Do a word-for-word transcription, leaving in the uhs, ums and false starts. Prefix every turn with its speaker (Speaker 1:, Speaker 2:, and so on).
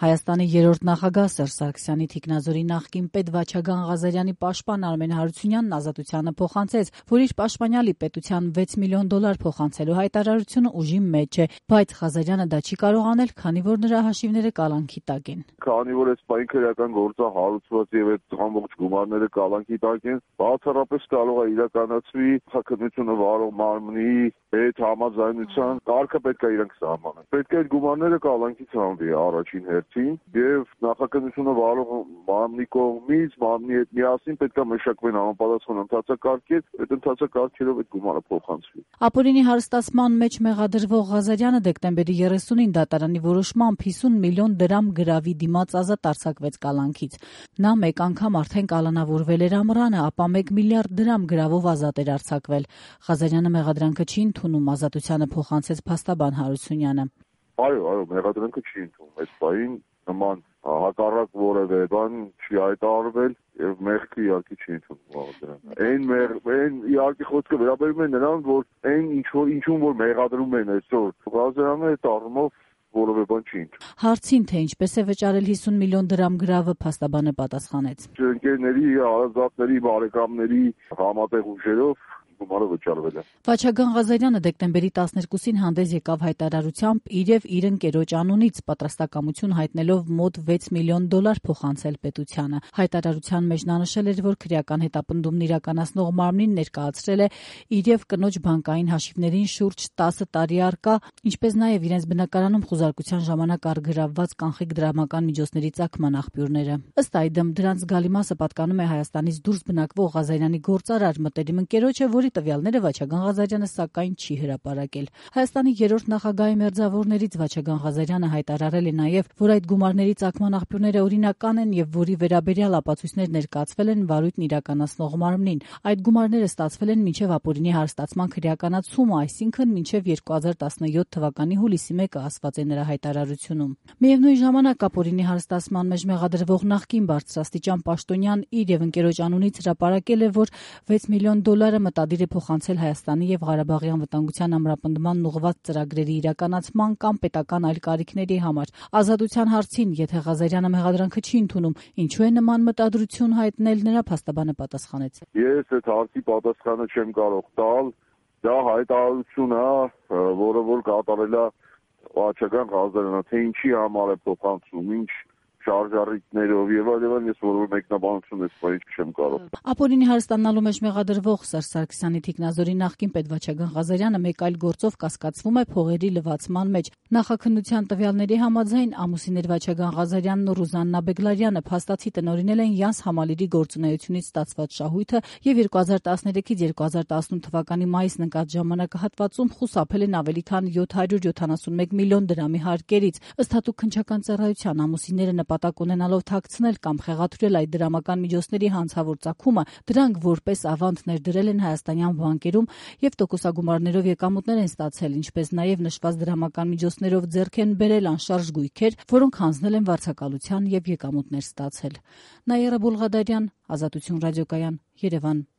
Speaker 1: Հայաստանի երրորդ նախագահ Սերժ Սարգսյանի թիկնազորի նախկին պետ Վաչագան Ղազարյանի պաշտպան Արմեն Հարությունյանն Ազատությանը փոխանցեց, որ իր պաշտպանյալի պետության վեց միլիոն դոլար փոխանցելու հայտարարությունը ուժի մեջ է, բայց Ղազարյանը դա չի կարող անել, քանի որ նրա հաշիվները կալանքի տակ են։
Speaker 2: Քանի որ այս պայն քրեական գործը հարուցված եւ այդ ամբողջ գումարները կալանքի տակ են, բացառապես կարող է իրականացվի քաղաքականությունը վարող մարմնի հետ համաձայնության կարգը պետք է իրենք սահմանեն։ Պետք է այդ գումարները կալանքի ցանվի առաջին հերթին եւ նախաքննությունը վարող մարմնի կողմից մարմնի հետ միասին պետք է մշակվեն համապատասխան ընթացակարգեր, այդ ընթացակարգերով այդ գումարը փոխանցվի։
Speaker 1: Ապօրինի հարստացման մեջ մեղադրվող Ղազարյանը դեկտեմբերի երեսունին դատարանի որոշմամբ հիսուն միլիոն դրամ գրավի դիմաց ազատ արձակվեց կալանքից։ Նա մեկ անգամ արդեն կալանավորվել էր ամռանը, ապա մեկ միլիարդ դրամ գրավով ազատ էր արձակվել։ Ղազարյանը մեղադրանքը չի ընդունում, Ազատությանը փոխանցեց փաստաբան Հարությունյանը։
Speaker 2: Այո, այո, մեղադրանքը չի ընդունում, այս պայն նման հակառակ որևէ բան չի հայտարարվել եւ մեղքը իհարկե չի ընդունում։ Այն մեղ, այն իհարկե խոսքը վերաբերում է նրան, որ այն ինչ որ ինչուն որ մեղադրում են այսօր Ղազարյանը այդ առումով որևէ բան չի ընդունում։
Speaker 1: Հարցին, թե ինչպես է վճարել հիսուն միլիոն դրամ գրավը, փաստաբանը պատասխանեց.
Speaker 2: Ընկերների, հարազատների, բարեկամների համատեղ ուժերով գումարը վճարվել է։
Speaker 1: Վաչագան Ղազարյանը դեկտեմբերի տասներկուսին հանդես եկավ հայտարարությամբ իր եւ իր ընկերոջ անունից պատրաստակամություն հայտնելով մոտ վեց միլիոն դոլար փոխանցել պետությանը։ Հայտարարության մեջ նա նշել էր, որ քրեական հետապնդումն իրականացնող մարմնին ներկայացրել է իր եւ կնոջ բանկային հաշիվներին շուրջ տասը տարի առկա, ինչպես նաեւ իրենց բնակարանում խուզարկության ժամանակ առգրավված կանխիկ դրամական միջոցների ծագման աղբյուրները։ Ըստ այդմ դրանց զգալի մասը պատկանում է Հայաստանից դուրս բնակվող Ղազարյանի գործարար մտերիմ ընկերոջը, որի տվյալները Վաչագան Ղազարյանը սակայն չի հրապարակել։ Հայաստանի երրորդ նախագահի մերձավորներից Վաչագան Ղազարյանը հայտարարել է նաև, որ այդ գումարների ծագման աղբյուրները օրինական են եւ որի վերաբերյալ ապացույցներ ներկայացվել են վարույթն իրականացնող մարմնին։ Այդ գումարները ստացվել են մինչև ապօրինի հարստացման քրեականացումը, այսինքն մինչև երկու հազար տասնյոթ թվականի հուլիսի մեկը, ասված է նրա հայտարարությունում։ Միևնույն ժամանակ ապօրինի հարստացման մեջ մեղադրվող նախկին բարձրաստիճան պաշտոնյան իր եւ ընկերոջ անունից հրապարակել է, որ վեց միլիոն դոլարը մտադիր է փոխանցել Հայաստանի եւ Ղարաբաղի անվտանգության ամրապնդման ուղղված ծրագրերի իրականացման կամ պետական այլ կարիքների համար։ Ազատության հարցին, եթե Ղազարյանը մեղադրանքը չի ընդունում, ինչու է նման մտադրություն հայտնել, նրա փաստաբանը պատասխանեց.
Speaker 2: Ես այդ հարցի պատասխանը չեմ կարող տալ, դա հայտարարություն է, որը որ կատարել է Վաչագան Ղազարյանը, թե ինչի համար է փոխանցում, ինչ շարժառիթներով եւ այլն, ես որևէ մեկնաբանություն ես բանի չեմ կարող։
Speaker 1: Ապօրինի հարստանալու մեջ մեղադրվող Սերժ Սարգսյանի թիկնազորի նախկին պետ Վաչագան Ղազարյանը մեկ այլ գործով կասկածվում է փողերի լվացման մեջ։ Նախաքննության տվյալների համաձայն ամուսիններ Վաչագան Ղազարյանն ու Ռուզաննա Բեգլարյանը փաստացի տնօրինել են Յանս Համալիրի գործունեությունից ստացված շահույթը եւ երկու հազար տասներեքից երկու հազար տասնութ թվականի մայիսն ընկած ժամանակահատվածում խուսափել են ավելի քան յոթ հարյուր յոթանասունմեկ միլիոն դրամի հարկերից։ Ըստ հատուկ քննչական ծառայության ամուսինները նպատակ ունենալով թաքցնել կամ խեղաթյուրել այդ դրամական միջոցների հանցավոր ծագումը, դրանք որպես ավանդ ներդրել են հայաստանյան բանկերում եւ տոկոսագումարներով եկամուտներ են ստացել, ինչպես նաեւ նշված դրամական միջոցներով ձեռք են բերել անշարժ գույքեր, որոնք հանձնել են վարձակալության եւ եկամուտներ ստացել։ Նաիրա Բուլղադարյան, Ազատություն ռադիոկայան, Երևան։